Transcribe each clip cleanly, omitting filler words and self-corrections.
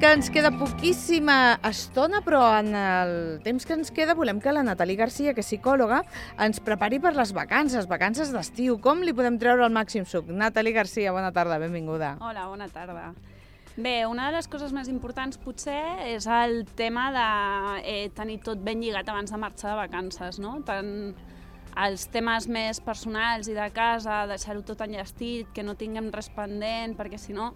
que ens queda poquíssima estona, però en el temps que ens queda volem que la Nathalie Garcia, que és psicòloga, ens prepari per les vacances d'estiu. Com li podem treure el màxim suc? Nathalie Garcia, bona tarda, benvinguda. Hola, bona tarda. Bé, una de les coses més importants potser és el tema de tenir tot ben lligat abans de marxar de vacances, no? Tant els temes més personals i de casa, deixar-ho tot enllestit, que no tinguem res pendent, perquè si no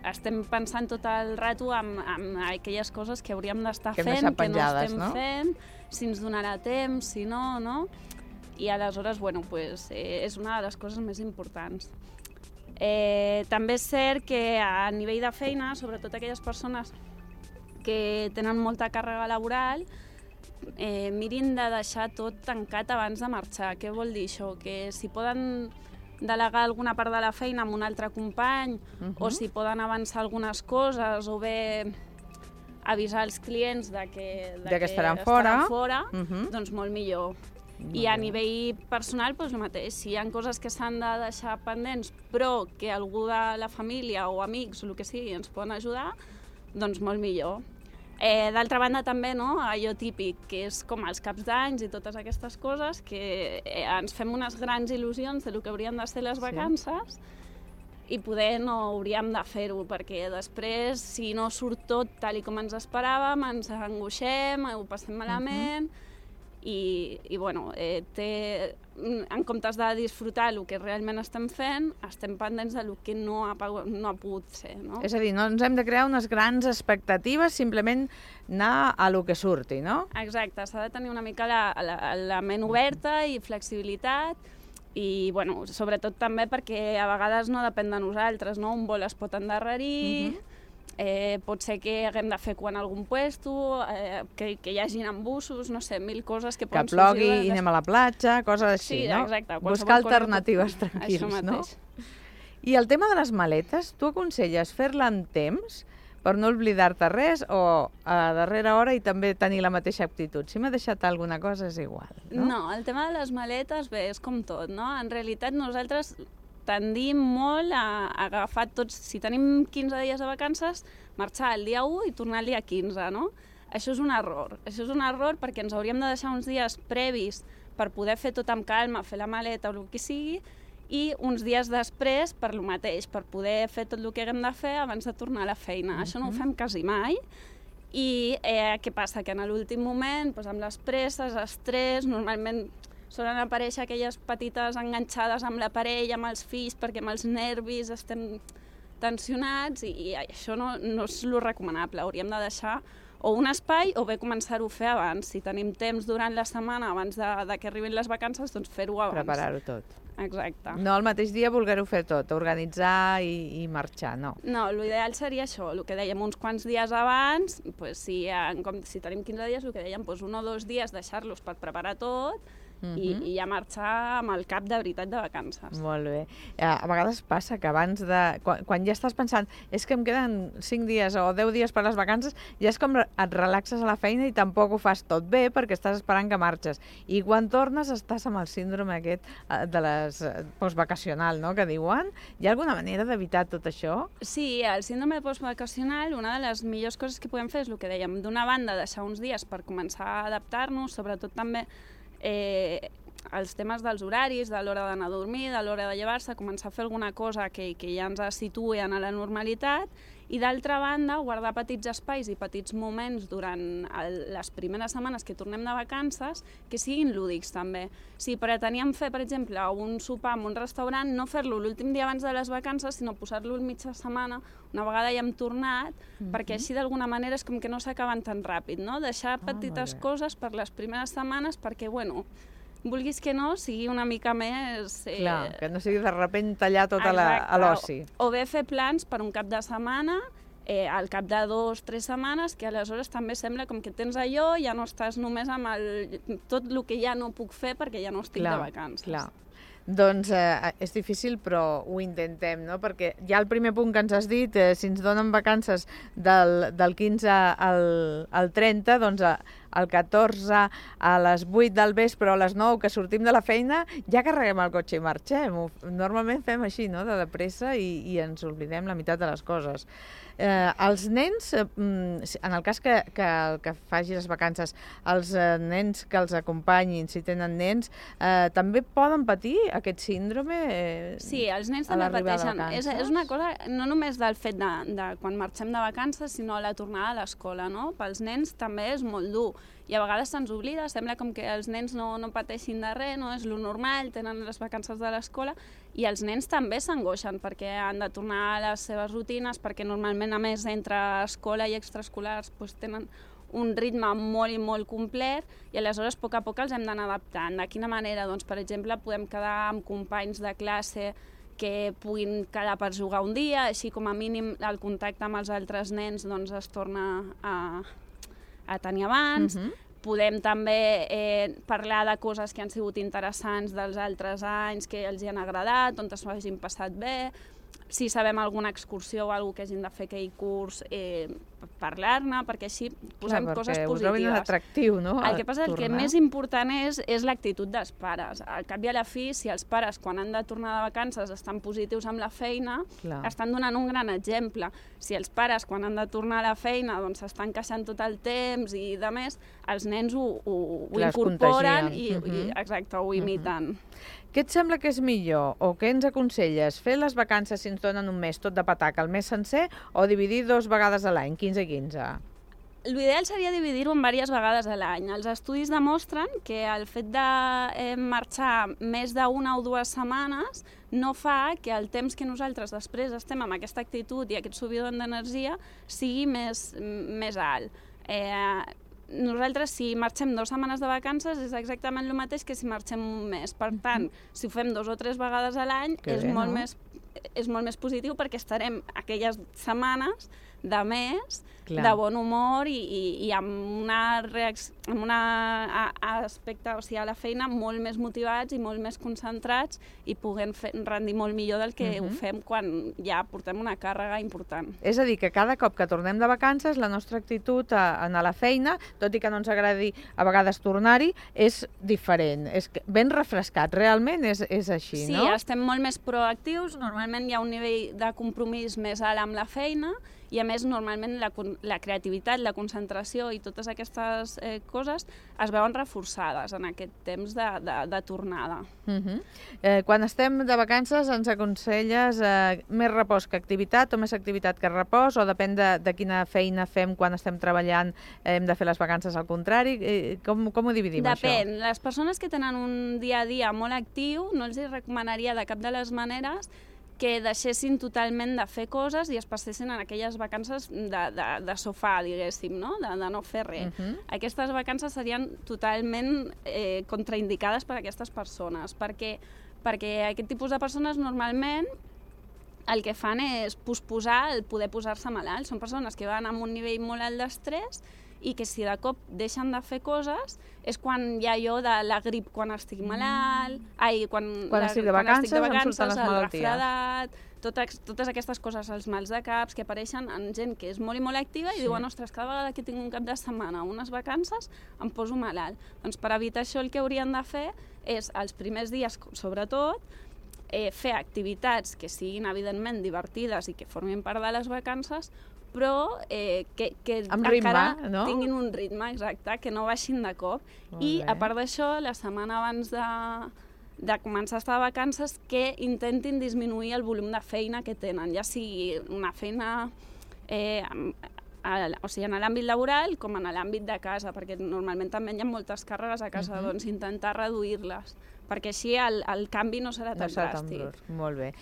estem pensant tot el rato en aquelles coses que hauríem d'estar fent, que no estem fent, si ens donarà temps, si no, no? I aleshores, bueno, pues, és una de les coses més importants. També és cert que a nivell de feina, sobretot aquelles persones que tenen molta càrrega laboral, mirin de deixar tot tancat abans de marxar. Què vol dir això? Que si poden delegar alguna part de la feina amb un altre company, o si poden avançar algunes coses, o bé avisar els clients de que estaran fora, doncs molt millor. I a nivell personal, doncs el mateix. Si hi ha coses que s'han de deixar pendents, però que algú de la família o amics o el que sigui ens poden ajudar, doncs molt millor. D'altra banda també, no, allò típic, que és com els caps d'anys i totes aquestes coses, que ens fem unes grans il·lusions del que haurien de ser les vacances i poder no hauríem de fer-ho, perquè després, si no surt tot tal com ens esperàvem, ens angoixem, ho passem malament, i bueno, en comptes de disfrutar el que realment estem fent, estem pendents del que no ha pogut ser, no? És a dir, no ens hem de crear unes grans expectatives, simplement anar a lo que surti, no? Exacte, s'ha de tenir una mica la ment oberta i flexibilitat, i bueno, sobretot també perquè a vegades no depèn de nosaltres, no? Un vol es pot endarrerir, pot ser que haguem de fer cua en algun puesto, que hi hagin embussos, no sé, mil coses que poden sorgir. Que plogui i anem a la platja, coses així, no? Sí, exacte. Buscar alternatives tranquils, no? I el tema de les maletes, tu aconselles fer-la en temps per no oblidar-te res o a darrera hora i també tenir la mateixa actitud? Si m'ha deixat alguna cosa és igual, no? No, el tema de les maletes, bé, és com tot, no? En realitat nosaltres tendim molt a agafar tots, si tenim 15 dies de vacances, marxar el dia 1 i tornar el dia 15, no? Això és un error. Això és un error perquè ens hauríem de deixar uns dies previs per poder fer tot amb calma, fer la maleta o el que sigui, i uns dies després per lo mateix, per poder fer tot el que haguem de fer abans de tornar a la feina. Això no ho fem quasi mai. I què passa? Que en l'últim moment, doncs, amb les presses, estrès, normalment solen aparèixer aquelles petites enganxades amb l'aparell, amb els fills, perquè amb els nervis estem tensionats i això no és el recomanable. Hauríem de deixar o un espai o bé començar-ho a fer abans. Si tenim temps durant la setmana, abans de que arribin les vacances, doncs fer-ho abans. Preparar-ho tot. Exacte. No el mateix dia voler-ho fer tot, organitzar i marxar, no. No, l'ideal seria això, el que dèiem, uns quants dies abans, doncs, si tenim 15 dies, el que dèiem, doncs, 1 o 2 dies deixar-los per preparar tot, i ja marxar amb el cap de veritat de vacances. Molt bé. A vegades passa que abans de... Quan ja estàs pensant és que em queden 5 dies o 10 dies per les vacances, ja és com et relaxes a la feina i tampoc ho fas tot bé perquè estàs esperant que marxes. I quan tornes estàs amb el síndrome aquest de les postvacacional, no?, que diuen. Hi ha alguna manera d'evitar tot això? Sí, el síndrome postvacacional, una de les millors coses que podem fer és el que dèiem, d'una banda deixar uns dies per començar a adaptar-nos, sobretot també els temes dels horaris, de l'hora d'anar a dormir, de l'hora de llevar-se, començar a fer alguna cosa que ja ens situï en la normalitat, i d'altra banda guardar petits espais i petits moments durant les primeres setmanes que tornem de vacances que siguin lúdics també. Si preteníem fer, per exemple, un sopar en un restaurant, no fer-lo l'últim dia abans de les vacances, sinó posar-lo en mitja setmana, una vegada ja hem tornat, perquè així d'alguna manera és com que no s'acaben tan ràpid, no? Deixar petites coses per les primeres setmanes perquè, bueno, vulguis que no, sigui una mica més... Clar, que no sigui de sobte tallar tot a l'oci. O bé fer plans per un cap de setmana, al cap de 2 o 3 setmanes, que aleshores també sembla com que tens allò, ja no estàs només amb tot el que ja no puc fer perquè ja no estic de vacances. Clar. Doncs és difícil, però ho intentem, no? Perquè ja el primer punt que ens has dit, si ens donen vacances del 15 al 30, doncs el 14 a les 8 del vespre o a les 9 que sortim de la feina, ja carreguem el cotxe i marxem. Normalment fem així, no?, de pressa i ens oblidem la meitat de les coses. Els nens, en el cas que faci les vacances, els nens que els acompanyin, si tenen nens, també poden patir aquest síndrome? Sí, els nens també pateixen. És una cosa no només del fet de quan marxem de vacances, sinó la tornada a l'escola, no? Pels nens també és molt dur. I a vegades se'ns oblida, sembla com que els nens no pateixin de res, no és lo normal, tenen les vacances de l'escola, i els nens també s'angoixen perquè han de tornar a les seves rutines, perquè normalment, a més, entre escola i extraescolars tenen un ritme molt i molt complet, i aleshores a poc els hem d'anar adaptant. De quina manera? Doncs, per exemple, podem quedar amb companys de classe que puguin quedar per jugar un dia, així com a mínim el contacte amb els altres nens doncs, es torna a tenir abans. Podem també parlar de coses que han sigut interessants dels altres anys, que els hi han agradat, on s'ho hagin passat bé. Si sabem alguna excursió o alguna que hagin de fer aquell curs, parlar-ne, perquè així posem coses positives. Ho trobin atractiu, no? El que passa és que el més important és l'actitud dels pares. Al cap i a la fi, si els pares, quan han de tornar de vacances, estan positius amb la feina, estan donant un gran exemple. Si els pares, quan han de tornar a la feina, doncs s'estan queixant tot el temps i de més, els nens ho incorporen i ho imiten. Què et sembla que és millor o què ens aconselles? Fer les vacances, si ens donen un mes tot de pataca, el mes sencer, o dividir 2 vegades a l'any, 15 i 15? L'ideal seria dividir-ho en diverses vegades a l'any. Els estudis demostren que el fet de marxar més d'una o 2 setmanes no fa que el temps que nosaltres després estem amb aquesta actitud i aquest subidon d'energia sigui més alt. Nosaltres, si marxem 2 setmanes de vacances, és exactament el mateix que si marxem un mes. Per tant, si ho fem 2 o 3 vegades a l'any, és molt més positiu perquè estarem aquelles setmanes de més, de bon humor i amb un aspecte, o sigui, a la feina molt més motivats i molt més concentrats i puguem rendir molt millor del que ho fem quan ja portem una càrrega important. És a dir, que cada cop que tornem de vacances, la nostra actitud a anar a la feina, tot i que no ens agradi a vegades tornar-hi, és diferent, és ben refrescat. Realment és així, no? Sí, estem molt més proactius, normalment hi ha un nivell de compromís més alt amb la feina, i a més normalment la creativitat, la concentració i totes aquestes coses es veuen reforçades en aquest temps de tornada. Quan estem de vacances ens aconselles més repòs que activitat o més activitat que repòs, o depèn de quina feina fem quan estem treballant, hem de fer les vacances al contrari? Com ho dividim, això? Depèn. Les persones que tenen un dia a dia molt actiu no els recomanaria de cap de les maneres que deixessin totalment de fer coses i es passessin en aquelles vacances de sofà, diguéssim, no? De no fer res. Aquestes vacances serien totalment contraindicades per a aquestes persones, perquè aquest tipus de persones normalment el que fan és posposar el poder posar-se malalt. Són persones que van amb un nivell molt alt d'estrès i que si de cop deixen de fer coses és quan hi ha allò de la grip quan estic malalt, quan estic de vacances em surten les el malalties. refredat, totes aquestes coses, els mals de caps que apareixen en gent que és molt i molt activa i diuen, ostres, cada vegada que tinc un cap de setmana o unes vacances em poso malalt. Doncs per evitar això el que haurien de fer és, els primers dies sobretot, fer activitats que siguin evidentment divertides i que formin part de les vacances, però que encara tinguin un ritme, exacte, que no baixin de cop. I a part d'això, la setmana abans de començar a estar de vacances, que intentin disminuir el volum de feina que tenen, ja sigui una feina o sigui, en l'àmbit laboral com en l'àmbit de casa, perquè normalment també hi ha moltes càrregues a casa, doncs intentar reduir-les, perquè així el canvi no serà tan dràstic. Molt bé.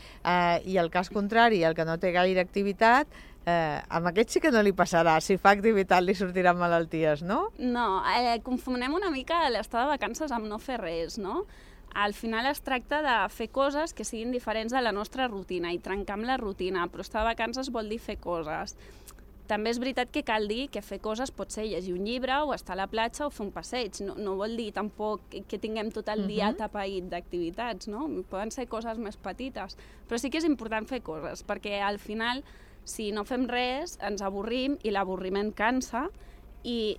I el cas contrari, el que no té gaire activitat, amb aquest sí que no li passarà. Si fa activitat li sortiran malalties, no? No, confonem una mica l'estar de vacances amb no fer res, no? Al final es tracta de fer coses que siguin diferents de la nostra rutina i trencar amb la rutina, però estar de vacances vol dir fer coses. També és veritat que cal dir que fer coses pot ser llegir un llibre o estar a la platja o fer un passeig. No vol dir tampoc que tinguem tot el dia atapeït d'activitats, no? Poden ser coses més petites. Però sí que és important fer coses, perquè al final, si no fem res, ens avorrim i l'avorriment cansa i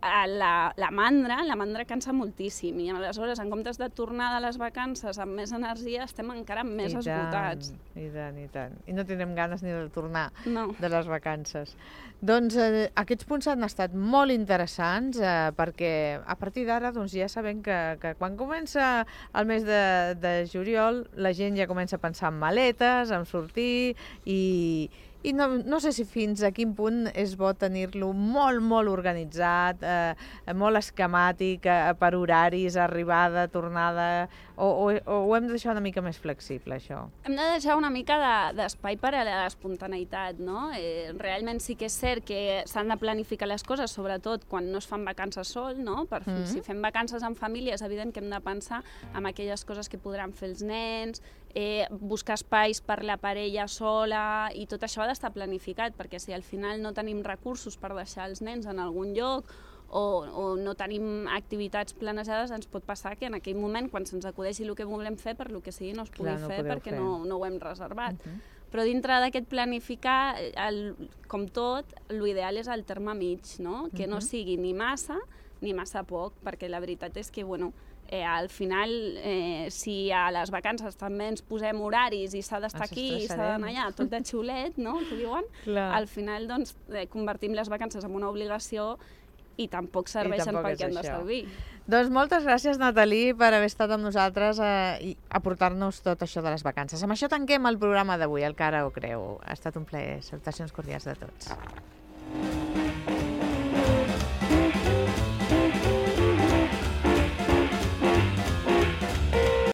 la mandra cansa moltíssim i aleshores, en comptes de tornar de les vacances amb més energia, estem encara més esgotats. I tant, i tant. I no tindrem ganes ni de tornar de les vacances. Doncs aquests punts han estat molt interessants perquè a partir d'ara ja sabem que quan comença el mes de juliol la gent ja comença a pensar en maletes, en sortir i no sé si fins a quin punt és bo tenir-lo molt, molt organitzat, molt esquemàtic, per horaris, arribada, tornada, o ho hem de deixar una mica més flexible, això? Hem de deixar una mica d'espai per a l'espontaneïtat, no? Realment sí que és cert que s'han de planificar les coses, sobretot quan no es fan vacances sol, no? Si fem vacances en família és evident que hem de pensar en aquelles coses que podran fer els nens, buscar espais per la parella sola, i tot això ha d'estar planificat, perquè si al final no tenim recursos per deixar els nens en algun lloc o no tenim activitats planejades, ens pot passar que en aquell moment, quan se'ns acudeixi el que volem fer, per lo que sigui no es pugui fer perquè no ho hem reservat. Però dintre d'aquest planificar, com tot, l'ideal és el terme mig, no? Que no sigui ni massa poc, perquè la veritat és que, al final, si a les vacances també ens posem horaris i s'ha d'estar aquí i s'ha d'anar allà, tot de xulet, no?, que diuen, al final doncs, convertim les vacances en una obligació i tampoc serveixen pel que han de servir. Doncs moltes gràcies, Nathalie, per haver estat amb nosaltres i aportar-nos tot això de les vacances. Amb això tanquem el programa d'avui, el Que ara ho creu. Ha estat un plaer. Salutacions cordials de tots.